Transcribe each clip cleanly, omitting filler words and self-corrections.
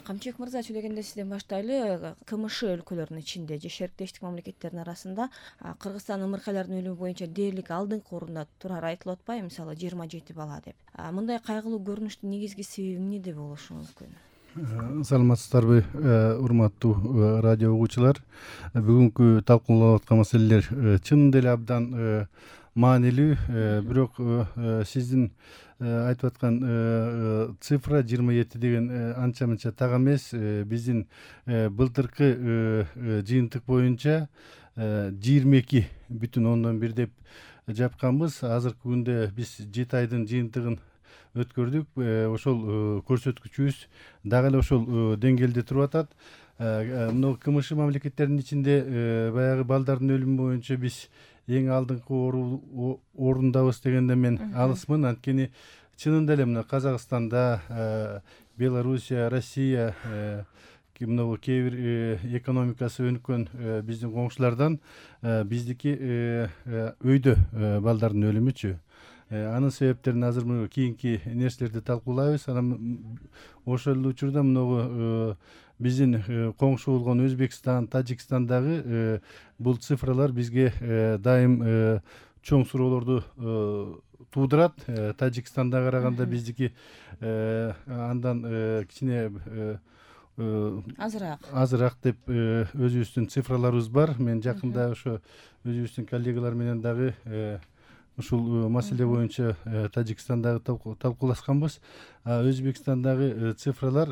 Камчыбек мырза, сүйлөгөндө сизден баштайлы. КМШ өлкөлөрүнүн ичинде же шериктештик мамлекеттердин арасында Кыргызстан ымыркайлардын өлүмү боюнча дээрлик алдыңкы орунда турары айтылып атпайбы, мисалы 27 бала деп. Мындай кайгылуу көрүнүштүн негизги себеби эмнеде болушу мүмкүн? Саламатсыздарбы, урматтуу радио угуучулар. Бүгүнкү талкууланып аткан маселелер чынында эле абдан маанилүү, бирок сиздин айтып аткан цифра 27 деген анча-мынча так эмес. Биздин былтыркы жыйынтык боюнча 22,1 деп жапканбыз. Азыркы күндө биз 7 айдын жыйынтыгын өткөрдүк. Ошол көрсөткүчүбүз дагы эле ошол деңгээлде туруп атат. Мына КМШ мамлекеттеринин ичинде баягы балдардын өлүмү боюнча биз эң алдыңкы орундабыз дегенде мен алысмын. Анткени чынында эле мына Казакстанда, Белоруссия, Россия, мына кээ бир экономикасы өнүккөн биздин коңшулардан биздики өйдө балдардын өлүмүчү. Анын себептерин азыр мына кийинки нерселерди талкуулайбыз. Анан ошол учурда мына биздин коңшу болгон Өзбекстан, Тажикстандагы бул цифралар бизге дайым чоң суроолорду туудурат. Тажикстанда караганда биздики андан кичине азыраак деп өзүбүздүн цифраларыбыз бар. Мен жакында ошо өзүбүздүн коллегалар менен дагы ушул маселе боюнча Тажикстандагы талкуулашканбыз. Өзбекстандагы цифралар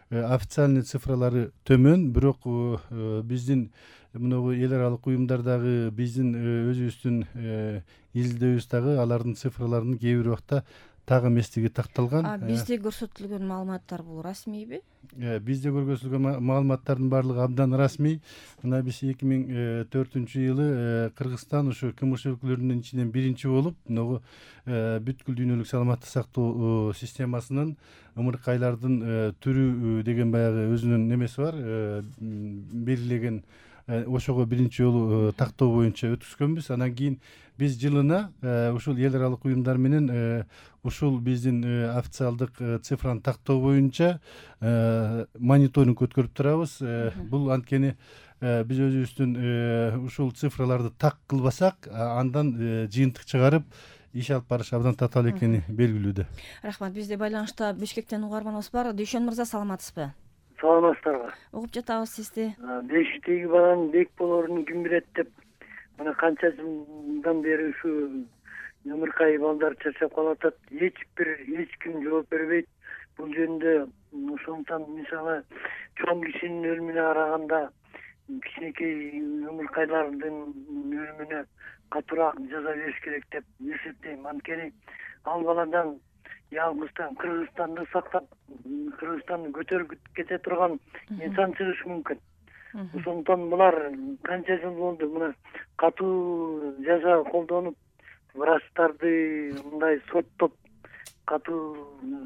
официальный цифралары төмөн, бирок биздин мына эл аралык уюмдардагы биздин өзүбүздүн изилдөөбүз дагы алардын цифраларынын кээ бир убакта так эместиги такталган. Бизде көрсөтүлгөн маалыматтар бул расмийби? Бизде көрсөтүлгөн маалыматтардын баардыгы абдан расмий. Мына биз 2004-жылы Кыргызстан ушу КМШ өлкөлөрүнүн ичинен биринчи болуп, мына бүткүл дүйнөлүк саламаттык сактоо системасынын ымыркайлардын түрү деген баягы өзүнүн немеси бар, белгилеген. Ошого биринчи жолу тактоо боюнча өткүзгөнбүз. Анан кийин биз жылына ушул эл аралык уюмдар менен ушул биздин официалдык цифраны тактоо боюнча мониторинг өткөрүп турабыз. Бул анткени биз өзүбүздүн ушул цифраларды так кылбасак, андан жыйынтык чыгарып иш алып барыш абдан татаал экени белгилүү. Рахмат. Бизде байланышта Бишкектен угарманыбыз бар. Дүйшөн мырза, саламатсызбы? Саламатсыздарбы? Угуп жатабыз сизди. Бешиктеги баланын бек болоорун ким билет деп мына канча жылдан бери ушу ымыркай балдар чарчап калып атат. Эч ким жооп бербейт бул жөнүндө. Ошондуктан мисалы чоң кишинин өлүмүнө караганда кичинекей ымыркайлардын өлүмүнө катуураак жаза бериш керек деп эсептейм. Анткени ал баладан ялгыздан Кыргызстанды сактап, Кыргызстанды көтөрүп кете турган инсан чыгышы мүмкүн. Ошондуктан булар канча жыл болду мына катуу жаза колдонуп, врачтарды мындай соттоп, катуу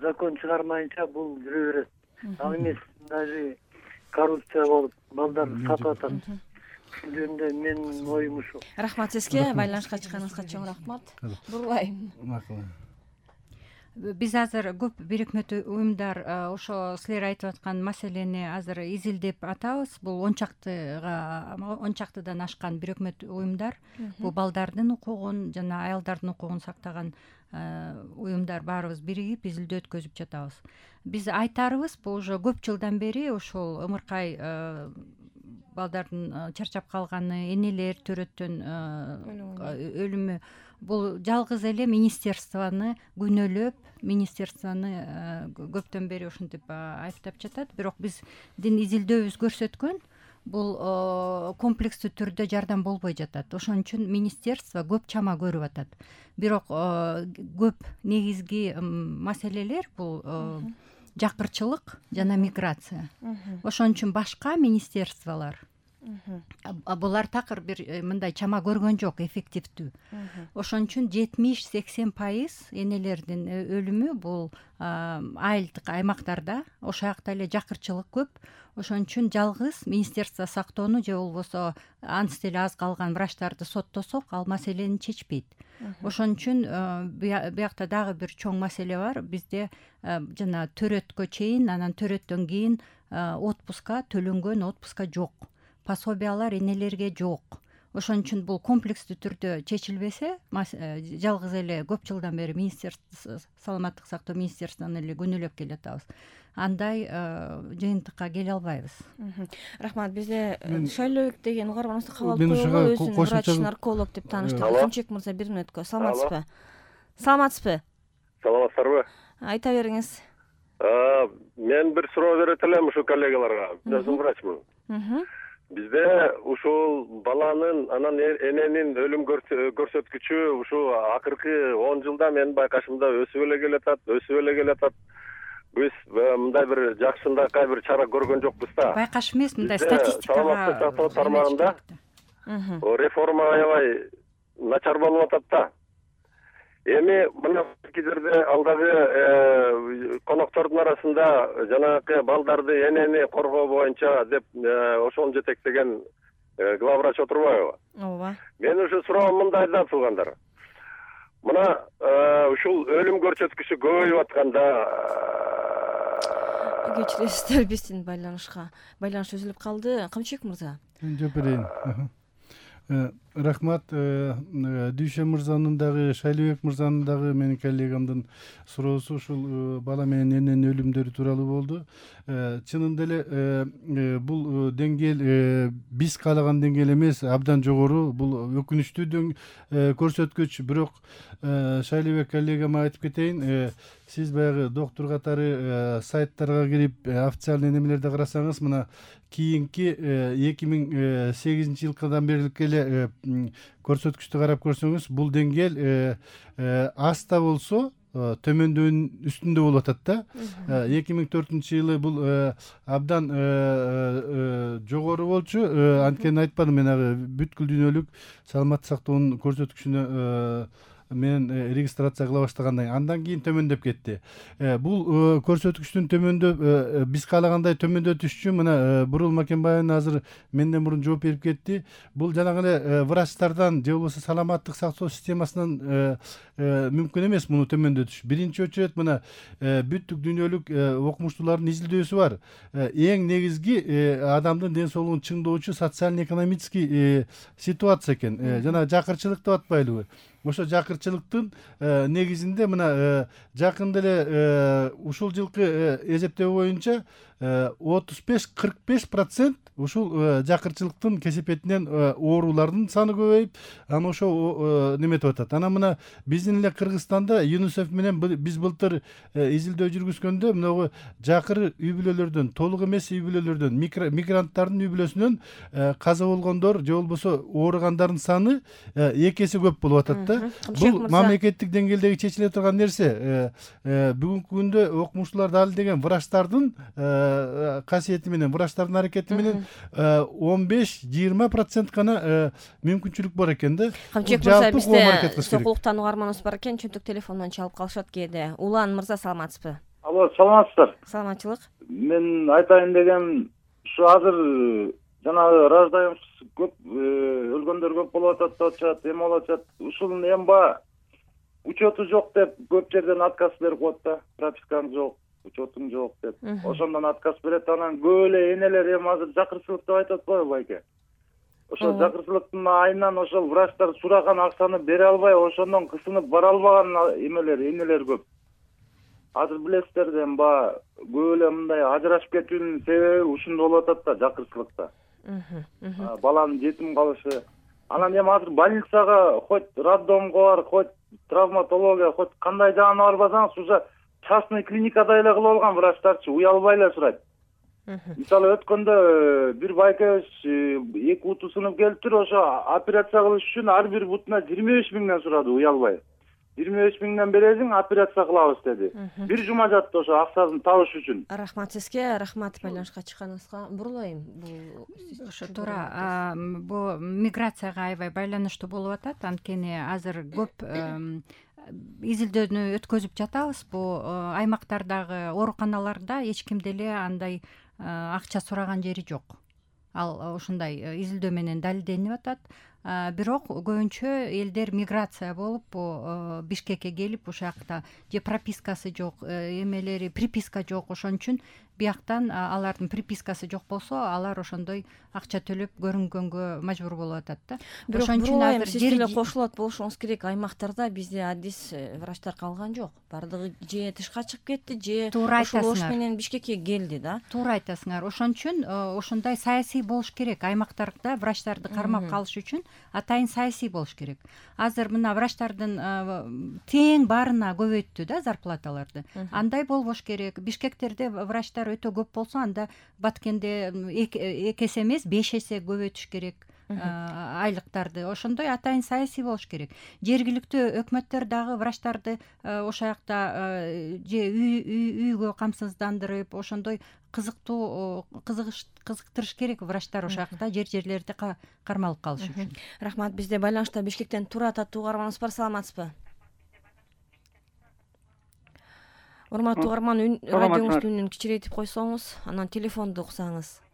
закон чыгармайынча бул жүрө берет. Ал эмес даже коррупция болуп балдар сатып атат. Ушул жөнүндө менин оюм ушул. Рахмат сизге, байланышка чыкканыңызга чоң рахмат. Бурлайм. Биз азыр көп бирикме уюмдар ошо силер айтып аткан маселени азыр изилдеп атабыз. Бул 10чактыдан ашкан бирикме уюмдар. Бул балдардын укугун жана аялдардын укугун сактаган уюмдар баарыбыз биригип изилдөө өткөзүп жатабыз. Биз айтарыбыз, бул уже көп жылдан бери ошол ымыркай балдардын чарчап калганы, энелер төрөттөн өлүмү бул жалгыз эле министерствону күнөөлөп, министерствону көптөн бери ушинтип айыптап жатат. Бирок биздин изилдөөбүз көрсөткөн, бул комплекстүү түрдө жардам болбой жатат. Ошон үчүн министерство көп чама көрүп атат. Бирок көп негизги маселелер бул жакырчылык жана миграция. Ошон үчүн башка министерстволор Булар такыр бир мындай чама көргөн жок эффективдүү. Ошон үчүн 70-80% энелердин өлүмү бул айылдык аймактарда, ошол жакта эле жакырчылык көп. Ошон үчүн жалгыз Министерство сактоону же болбосо анча деле аз калган врачтарды соттосок, ал маселени чечпейт. Ошон үчүн биякта дагы бир чоң маселе бар. Бизде жана төрөткө чейин, анан төрөттөн кийин отпуска төлөнгөн отпуска жок. Пособиялар энелерге жок. Ошон үчүн бул комплекстүү түрдө чечилбесе, жалгыз эле көп жылдан бери саламаттык сактоо министерствосунан эле күнөөлөп келатабыз. Андай жыйынтыкка келе албайбыз. Рахмат. Бизде Шайлообек деген угарманыбызды кабыл алып койгонго өзүн врач нарколог деп тааныштык. Кымчек мырза, бир мүнөткө. Саламатсызбы? Саламатсыздарбы? Айта бериңиз. Мен бир суроо берет элем ушу коллегаларга. Мен өзүм врачмын. Бизде ушул баланын анан эненин өлүм көрсөткүчү ушу акыркы 10 жылда менин байкашымда өсүп эле келатат. Биз мындай бир жакшынакай бир чара көргөн жокпуз да. Байкаш эмес, мындай статистикага. Саламаттык сактоо тармагында реформа аябай начар болуп атат да. Эми мына кезерде алдагы коноктордун арасында жанагы балдарды, энени коргоо боюнча деп ошону жетектеген главврач отурбайбы? Ооба. Мен ушу суроом мындай да, туугандар. Мына ушул өлүм көрсөткүчү көбөйүп атканда кечиресиздер, биздин байланыш үзүлүп калды. Кымчек мырза. Мен жооп берейин. Рахмат. Дүйшө мырзанын дагы, Шайлообек мырзанын дагы, менин коллегамдын суроосу ушул бала менен эненин өлүмдөрү тууралуу болду. Чынында эле бул деңгээл биз каалаган деңгээл эмес, абдан жогору. Бул өкүнүчтүү көрсөткүч. Бирок Шайлообек коллегама айтып кетейин, сиз баягы доктур катары сайттарга кирип официальный немелерди карасаңыз, мына кийинки 2008 жылкыдан бери эле көрсөткүчтү карап көрсөңүз, бул деңгээл аз да болсо төмөндөөнүн үстүндө болуп атат да. 2004-жылы бул абдан жогору болчу. Анткени айтпадым мен, бүткүл дүйнөлүк саламаттык сактоонун көрсөткүчүнө менен регистрация кыла баштагандан андан кийин төмөндөп кетти. Бул көрсөткүчтүн төмөндөп, биз каалагандай төмөндөп түшчү. Мына Бурул Макенбаева азыр менден мурун жооп берип кетти. Бул жанагы эле врачтардан же болбосо саламаттык сактоо системасынан мүмкүн эмес муну төмөндөтүш. Биринчи очередь мына бүттүк дүйнөлүк окумуштуулардын изилдөөсү бар. Эң негизги адамдын ден соолугун чыңдоочу социально-экономический ситуация экен. Жана жакырчылык деп атпайлыбы? Ошо жакырчылыктын негизинде мына жакында эле ушул жылкы эсептөө боюнча 35-45% ушул жакырчылыктын кесепетинен оорулардын саны көбөйүп, анан ошо неметип атат. Анан мына биздин эле Кыргызстанда ЮНИСЕФ менен биз былтыр изилдөө жүргүзгөндө мына жакыр үй бүлөлөрдөн, толук эмес үй бүлөлөрдөн, мигранттардын үй бүлөсүнөн каза болгондор же болбосо ооругандардын саны 2 эсе көп болуп атат да. Бул мамлекеттик деңгээлдеги чечиле турган нерсе. Бүгүнкү күндө окумуштуулар дал деген врачтардын касиети менен, врачтардын аракети менен 15-20% гана мүмкүнчүлүк бар экен да. Камчек мырза, бизде сокулуктан угарманыбыз бар экен, чөнтөк телефондон чалып калышат кээде. Улан мырза, саламатсызбы? Алло, саламатсыздар? Саламатчылык. Мен айтайын деген, ушу азыр жанагы рождаемость көп, өлгөндөр көп болуп атат деп атышат, эме болуп атат. Ушунун эмба учету жок деп көп жерден отказ берип коет да. Пропискаң жок, учетуң жок деп. Ошондон отказ берет. Анан көп эле энелер эми азыр жакырчылык деп айтып атпайбы байке? Ошол жакырчылыктын айынан ошол врачтар сураган акчаны бере албай, ошондон кысынып бара албаган энелер көп. Азыр билесиздер да, көп эле мындай ажырашып кетүүнүн себеби ушунда болуп атат да, жакырчылыкта. Баланын жетим калышы. Анан эми азыр больницага, хоть роддомго бар, хоть травматология, хоть кандай жагына барбасаңыз, уже частный клиникада эле кылып алган врачтарчы уялбай эле сурайт. Мисалы өткөндө бир байкебиз 2 буту сынып келиптир, ошо операция кылыш үчүн ар бир бутуна 25 000 сурады уялбай. 25 миңден бересиң, операция кылабыз деди. Бир жума жатты ошо акчасын табыш үчүн. Рахмат сизге, рахмат байланышка чыкканыңызга. Бурулайм. Бул ошо туура. Бул миграцияга аябай байланыштуу болуп атат. Анткени азыр көп изилдөөнү өткөзүп жатабыз. Бул аймактардагы ооруканаларда эч ким деле андай акча сураган жери жок. Ал ошондой изилдөө менен далилденип атат. Бирок көбүнчө элдер миграция болуп Бишкекке келип ушакта же пропискасы жок, эмелери приписка жок, ошон үчүн бияктан алардын припискасы жок болсо алар ошондой акча төлөп көрүнгөнгө мажбур болуп атат да. Ошон үчүн азыр сиз деле кошулот болушуңуз керек. Аймактарда бизде адис врачтар калган жок. Бардыгы же тышка чыгып кетти, же ошол ош менен Бишкекке келди да. Туура айтасыңар. Ошон үчүн ошондой саясий болуш керек. Аймактарда врачтарды кармап калыш үчүн атайын саясий болуш керек. Азыр мына врачтардын тең баарына көбөйттү да зарплаталарды. Андай болбош керек. Бишкектерде врачтар өтө көп болсо, анда Баткенде 2 эсе эмес 5 эсе көбөйтүш керек айлыктарды. Ошондой атайын саясий болуш керек. Жергиликтүү өкмөттөр дагы врачтарды ошол жакта же үйгө камсыздандырып, ошондой кызыктырыш керек врачтар ошол жакта жерлерде кармалып калыш үчүн. Рахмат. Бизде байланышта Бишкектен Тура татуу угарманыбыз бар. Саламатсызбы? Урматтуу угарман, радиоңуздун үнүн кичирейтип койсоңуз, анан телефонду уксаңыз.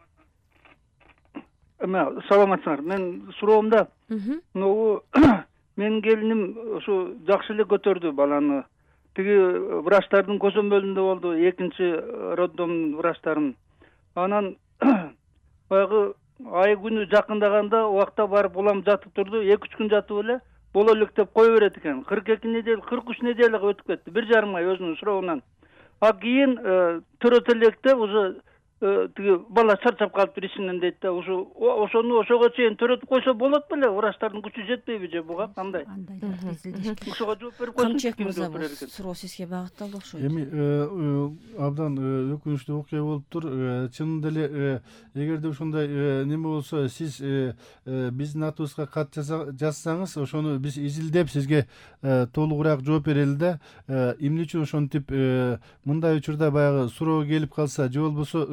Саламатсыңар. Мен суроомда могу менин келиним ушу жакшы эле көтөрдү баланы. Тиги врачтардын көзөмөлүндө болду, экинчи роддомдун врачтарын. Анан баягы ай күнү жакындаганда убакта барып улам жатып турду, 2-3 күн жатып эле боло элек деп кое берет экен. 42 неделя, 43 неделяга өтүп кетти, 1,5 ай өзүнүн суроогунан. Кийин төрөт электе уже тиги бала чарчап калыптыр ичинен дейт да. Ошону ошого чейин төрөтүп койсо болот беле? Врачтардын күчү жетпейби же буга кандай? Ошого жооп берип койсун. Камчек мырза, бул суроо сизге багытталды окшойт. Эми абдан өкүнүчтүү окуя болуптур. Чынында эле эгерде ошондой неме болсо, сиз биздин атыбызга кат жазсаңыз, ошону биз изилдеп сизге толугураак жооп берели да. Эмне үчүн ошентип мындай учурда баягы суроо келип калса, же болбосо